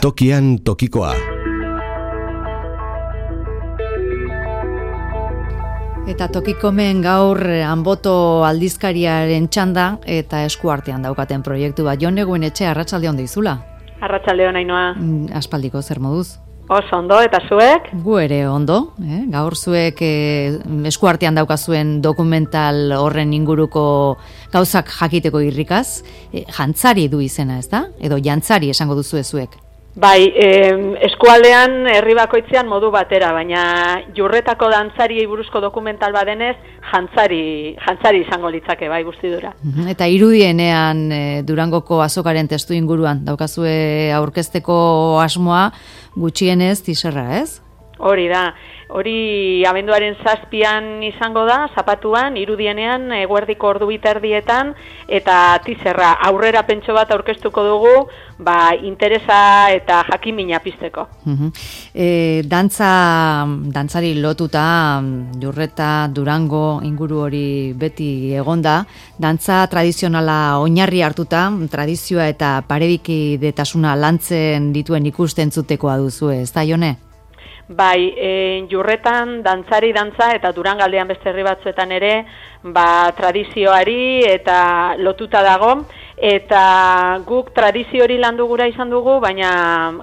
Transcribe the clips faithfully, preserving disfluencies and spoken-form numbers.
Tokian tokikoa. Eta tokikomen gaur Anboto aldizkariaren txanda eta eskuartean daukaten proiektu bat. Jon Eguenetxe, arratsalde on deizula. Arratsalde on, Ainhoa. Aspaldiko zer moduz? Oso ondo, eta zuek? Gu ere ondo, eh? Gaur zuek eh, eskuartean daukazuen dokumental horren inguruko gauzak jakiteko irrikaz, eh, jantzari du izena, ez da? Edo jantzari esango duzu zuek. Bai, eh, eskualdean herri bakoitzean modu batera, baina jurretako dantzariei buruzko dokumental badenez, jantzari, jantzari izango litzake, bai, guztidura. Eta irudienean eh, Durangoko azokaren testu inguruan daukazue aurkezteko asmoa gutxienez tiserra, ez? Hori da, hori abenduaren zazpian izango da, zapatuan, irudienean, eguerdiko ordu biterdietan, eta tizerra aurrera pentso bat aurkeztuko dugu, ba, interesa eta jakimina pizteko. Uh-huh. E, dantza, dantzari lotuta, Jurreta, Durango inguru hori beti egonda, dantza tradizionala oinarri hartuta, tradizioa eta parebikidetasuna lantzen dituen ikusten zutekoa duzu, ez da, Jone? Bai, e, Jurretan dantzari dantza eta Durangaldean beste herri batzuetan ere, ba, tradizioari eta lotuta dago, eta guk tradizio hori landu gura izan dugu, baina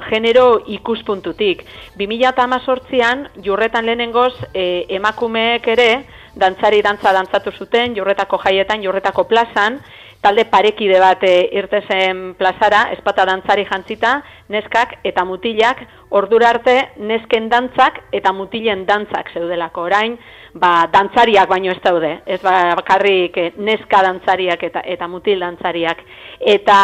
genero ikuspuntutik. bi mila hemezortzian Jurretan lehenengoz e, emakumeek ere dantzari dantza dantzatu zuten, Jurretako jaietan, Jurretako plazan, talde parekide bat e, irtezen plazara, espata dantzari jantzita, neskak eta mutilak, ordura arte nesken dantzak eta mutilen dantzak zeudelako. Orain, ba, dantzariak baino ez daude, ez bakarrik neska dantzariak eta, eta mutil dantzariak. Eta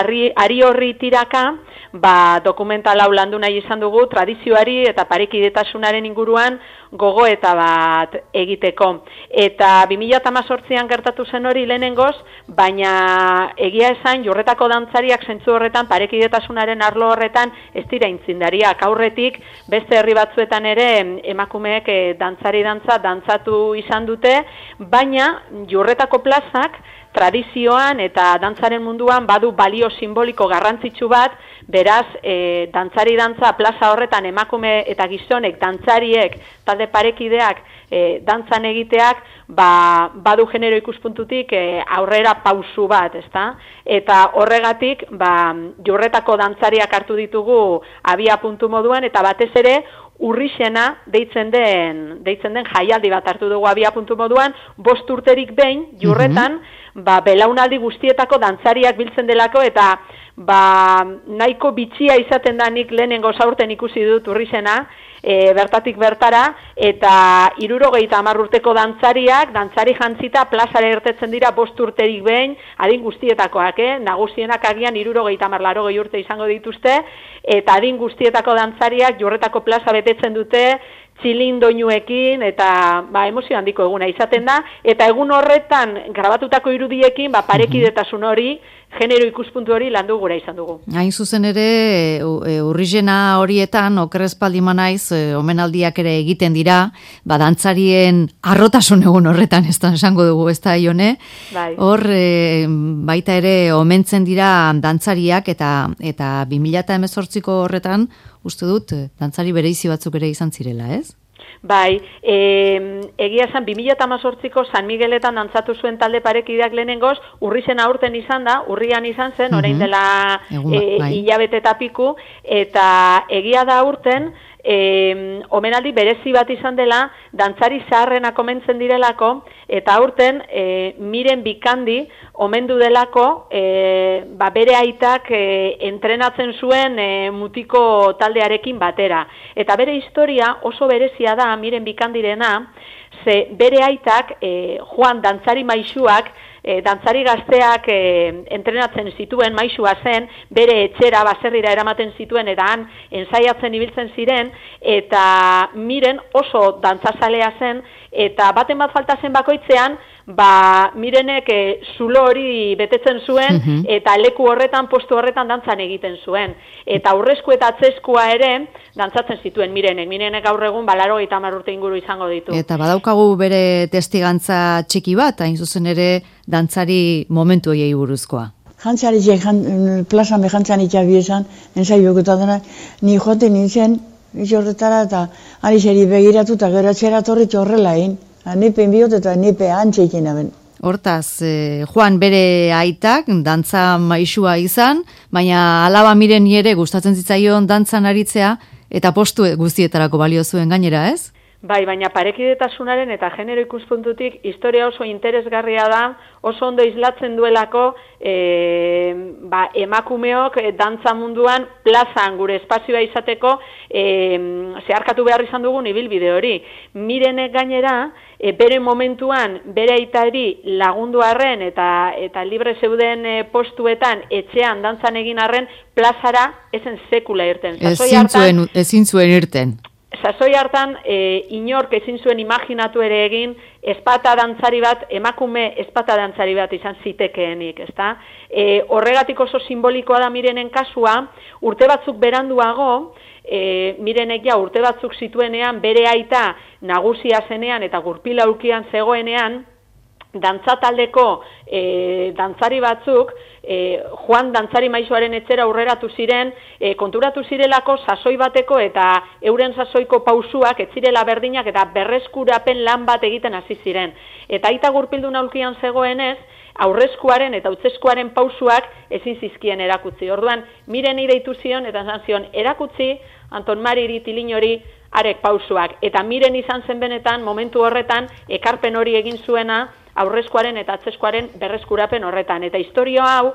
ari, ari horri tiraka, ba, dokumental hau landu nahi izan dugu, tradizioari eta parekidetasunaren inguruan gogoeta bat egiteko. Eta bi mila hemezortzian gertatu zen hori lehenengoz, baina egia esan Jurretako dantzariak zentzu horretan, parekidetasunaren arlo horretan ez dira intzindariak. Aurretik beste herri batzuetan ere emakumeek e, dantzari dantza dantzatu izan dute, baina Jurretako plazak tradizioan eta dantzaren munduan badu balio simboliko garrantzitsu bat, beraz, e, dantzari dantza plaza horretan emakume eta gizonek, dantzariek, talde parekideak, e, dantzan egiteak, ba, badu genero ikuspuntutik e, aurrera pausu bat, ezta? Eta horregatik, ba, Jurretako dantzariak hartu ditugu abia puntu moduan, eta batez ere, Urrixena deitzen den, deitzen den jaialdi bat hartu dugu abia puntu moduan, bost urterik behin, Jurretan, mm-hmm. ba, belaunaldi guztietako dantzariak biltzen delako, eta ba, nahiko bitxia izaten da nik lehenengo zaurten ikusi dut Urrixena, e, bertatik bertara, eta hirurogeita hamar urteko dantzariak, dantzari jantzita plazara irtetzen dira bost urterik behin, adin guztietakoak, eh? Nagusienak agian hirurogeita hamar larogei urte izango dituzte, eta adin guztietako dantzariak Jurretako plaza betetzen dute, txilindoinuekin, eta ba, emozio handiko eguna izaten da, eta egun horretan grabatutako irudiekin, ba, parekidetasun hori, genero ikuspuntu hori landu gura izan dugu. Hain zuzen ere, urrizena horietan, okerrezpaldima naiz, omenaldiak ere egiten dira, ba, dantzarien arrotasun egun horretan, ez da esango dugu, ez da, Ione? Bai. Hor, e, baita ere, omentzen dira dantzariak, eta eta bi mila hemezortziko horretan, uste dut, dantzari bereizi batzuk ere izan zirela, ez? Bai, e, egia esan, bi mila hemezortziko San Migueletan dantzatu zuen talde parekideak lehenengoz, Urrizena aurten izan da, urrian izan zen, orain dela e, hilabete eta piku, eta egia da aurten, E, omenaldi berezi bat izan dela, dantzari zaharrenak omentzen direlako, eta aurten e, Miren Bikandi omendu delako, e, ba, bere aitak e, entrenatzen zuen e, mutiko taldearekin batera. Eta bere historia oso berezia da Miren Bikandirena, ze bere aitak, e, Juan dantzari maisuak, E, dantzari gazteak e, entrenatzen zituen, maisua zen, bere etxera baserrira eramaten zituen, eta han ensaiatzen ibiltzen ziren, eta Miren oso dantzazalea zen, eta baten bat falta zen bakoitzean, ba, Mirenek e, zulo hori betetzen zuen, uh-huh. eta leku horretan, postu horretan dantzan egiten zuen. Eta aurrezko eta atzeskua ere, dantzatzen zituen Mirenek. Mirenek gaur egun balaro eta hamar urte inguru izango ditu. Eta badaukagu bere testigantza txiki bat, hain zuzen ere dantzari momentu hoiei buruzkoa. jantzaritxe, jan, plazan behantzanitxa biezan, ensaioketa dena, ni jote nintzen, itxe horretara, eta ari zeri begiratu, eta gero atxera torritxe horrela egin. Nipen bihot eta nipe antxeikin aben. Hortaz, eh, Juan bere aitak, dantza maisua izan, baina alaba miren ere gustatzen zitzaion dantzan aritzea, eta postu guztietarako balio zuen gainera, ez? Bai, baina parekidetasunaren eta genero ikuspuntutik historia oso interesgarria da, oso ondo islatzen duelako e, ba, emakumeok dantza munduan plazan gure espazioa izateko e, zeharkatu behar izan dugun ibilbide hori. Mirenek gainera, e, bere momentuan, bere aitari lagundu arren eta, eta libre zeuden e, postuetan etxean dantzan egin arren plazara ezen sekula irten. Ezin zuen, ezin zuen irten. Sasoi hartan, e, inork ezin zuen imaginatu ere egin, espata dantzari bat, emakume espata dantzari bat izan zitekeenik, ezta? E, horregatik oso simbolikoa da Mirenen kasua, urte batzuk beranduago, e, Mirenek ja urte batzuk zituenean, bere aita nagusia zenean eta gurpila ulkian zegoenean, dantzataldeko e, dantzari batzuk, e, Juan dantzari maizuaren etxera aurreratu ziren, e, konturatu zirelako sasoi bateko eta euren sasoiko pausuak ez zirela berdinak eta berreskurapen lan bat egiten hasi ziren. Eta aita gurpildun aulkian zegoenez, aurrezkuaren eta utzeskuaren pausuak ezin zizkien erakutzi. Orduan, Mireni deitu zion eta esan zion erakutzi Anton Mariri Tilinori arek pausuak. Eta Miren izan zen benetan, momentu horretan, ekarpen hori egin zuena, aurrezkoaren eta atzezkoaren berreskurapen horretan. Eta historia hau,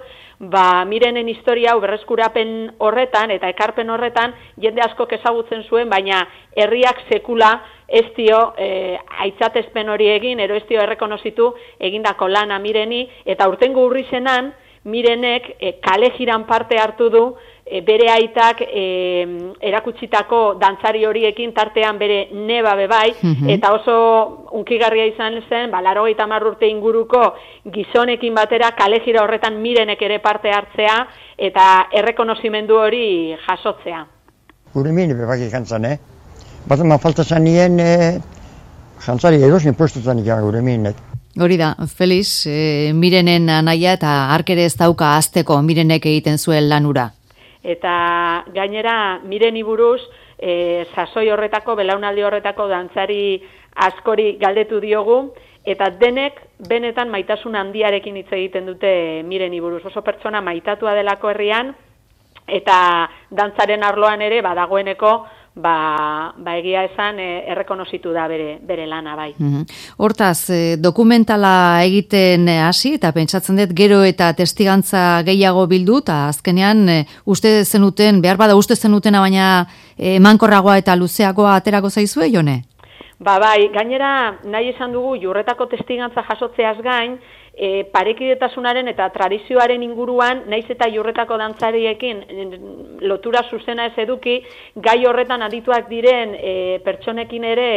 ba, Mirenen historia hau berreskurapen horretan eta ekarpen horretan jende askok ezagutzen zuen, baina herriak sekula ez dio e, aitzatezpen hori egin, ero ez dio errekonozitu egindako lana Mireni, eta urtengo urrizenan Mirenek e, kale jiran parte hartu du, e, bere aitak e, erakutsitako dantzari horiekin tartean bere neba bebai, mm-hmm. eta oso unkigarria izan zen, ba, laurogeita hamar urte inguruko gizonekin batera kale jira horretan Mirenek ere parte hartzea, eta errekonozimendu hori jasotzea. Gure mine bebak ikantzan, eh? Bat eman falta zanien, eh, jantzari edosin postutan ikan gure minek. Hori da, Feliz, e, Mirenen anaia eta arkere ez dauka azteko Mirenek egiten zuen lanura. Eta gainera Mireni buruz, e, sasoi horretako, belaunaldi horretako dantzari askori galdetu diogu, eta denek benetan maitasun handiarekin hitz egiten dute Mireni buruz. Oso pertsona maitatua delako herrian, eta dantzaren arloan ere badagoeneko, Ba, ba egia esan e, errekonozitu da bere, bere lana bai. Mm-hmm. Hortaz, e, dokumentala egiten hasi eta pentsatzen dut gero eta testigantza gehiago bildu eta azkenean e, uste zenuten, behar bada uste zenutena baina e, emankorragoa eta luzeagoa aterako zaizue, Jone? Ba bai, gainera nahi esan dugu jurretako testigantza jasotzeaz gain, E, parekidetasunaren eta tradizioaren inguruan, naiz eta jurretako dantzariekin lotura zuzena ez eduki, gai horretan adituak diren e, pertsonekin ere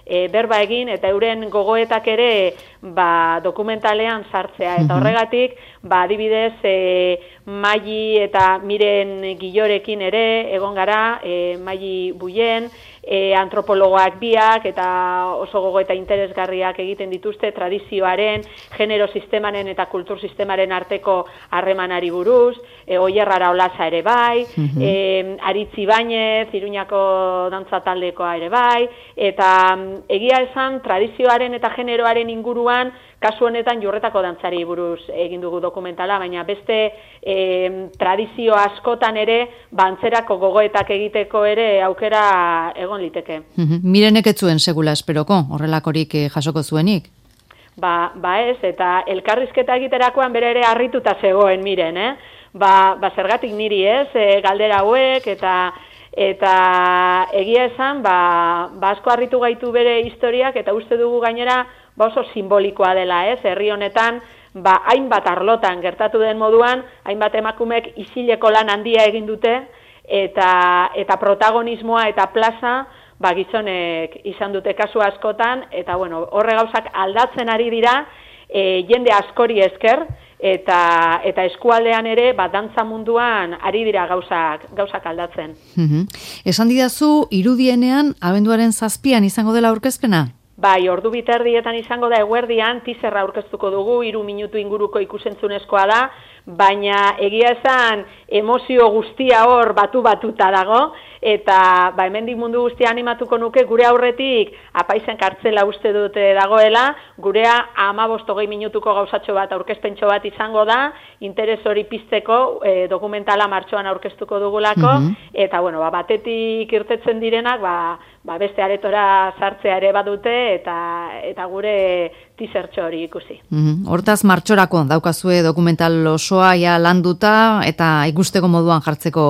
e, berba egin eta euren gogoetak ere ba, dokumentalean sartzea. Eta horregatik, ba, adibidez, e, Maili eta Miren Gilorekin ere egon gara, e, Maili Buien, E, antropologoak biak eta oso gogo eta interesgarriak egiten dituzte tradizioaren, genero sistemaren eta kultur sistemaren arteko harremanari buruz, e, Oier Araolaza ere bai, mm-hmm. e, Aritz Ibañez, Iruñako dantza taldekoa ere bai, eta egia esan tradizioaren eta generoaren inguruan kasu honetan jurretako dantzari buruz egin dugu dokumentala, baina beste e, tradizio askotan ere bantzerako gogoetak egiteko ere aukera egon liteke. Mm-hmm. Mirenek ez zuen segula esperoko, horrelakorik jasoko zuenik? Ba, ba ez, eta elkarrizketa egiterakoan bere ere harrituta zegoen Miren, eh? Ba, ba zergatik niri ez, e, galdera hauek, eta eta egia esan, ba, ba asko harritu gaitu bere historiak, eta uste dugu gainera, ba oso simbolikoa dela, ez? Herri honetan, ba hainbat arlotan gertatu den moduan, hainbat emakumek isileko lan handia egin dute eta eta protagonismoa eta plaza ba gizonek izan dute kasu askotan eta bueno, horre gauzak aldatzen ari dira, e, jende askori esker eta eta eskualdean ere ba dantza munduan ari dira gauzak gauzak aldatzen. Mm-hmm. Esan didazu irudienean abenduaren zazpian izango dela aurkezpena? Bai, ordu biterdietan izango da eguerdian, teaserra aurkeztuko dugu, hiru minutu inguruko ikusentzunezkoa da, baina egia esan emozio guztia hor batu-batuta dago, eta ba, hemendik mundu guztia animatuko nuke, gure aurretik apaizen kartzela uste dute dagoela, gurea hamabost hogei minutuko gauzatxo bat, aurkezpentxo bat izango da, interes hori pizteko e, dokumentala martxoan aurkeztuko dugulako, mm-hmm. eta bueno, ba, batetik irtetzen direnak, ba, ba, beste aretora sartzea ere badute, eta, eta gure teasertxo hori ikusi. Mm-hmm. Hortaz martxorako daukazue dokumental osoa ja landuta, eta ikusteko moduan jartzeko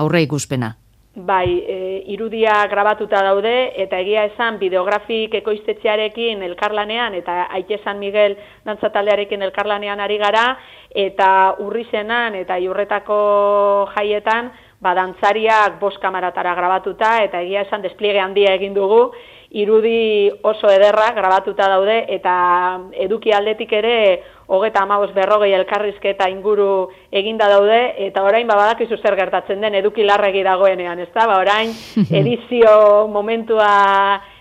aurre ikuspena. Bai, e, irudia grabatuta daude, eta egia esan bideografik ekoiztetxearekin elkarlanean, eta Aite San Miguel dantzataldearekin elkarlanean ari gara, eta urrizenan eta Iurretako jaietan, ba, dantzariak bost kamaratara grabatuta, eta egia esan despliege handia egin dugu, irudi oso ederra grabatuta daude, eta eduki aldetik ere hogeta hamabost berrogei elkarrizketa inguru eginda daude, eta orain ba, badakizu zer gertatzen den eduki larregi dagoenean, ezta? Ba, orain edizio momentua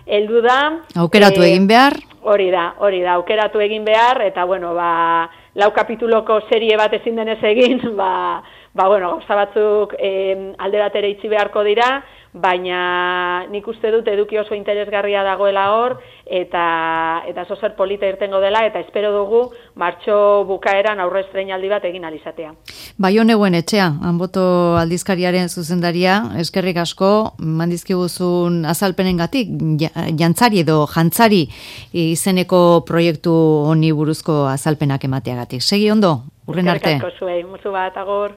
heldu da. Aukeratu egin behar. Hori da, hori da, aukeratu egin behar, eta bueno, ba, lau kapituloko serie bat ezin denez egin, ba, ba bueno, gauza batzuk eh, alde batera itxi beharko dira, baina nik uste dut eduki oso interesgarria dagoela hor, eta eta zozer polita irtengo dela, eta espero dugu martxo bukaeran aurre estreinaldi bat egin alizatea. Baioneguen etxea, Anboto aldizkariaren zuzendaria, eskerrik asko, mandizkiguzun azalpenengatik, jantzari edo jantzari izeneko proiektu honi buruzko azalpenak emateagatik. Segi ondo, urren arte. Eskerrik asko zuei, musu bat, agur.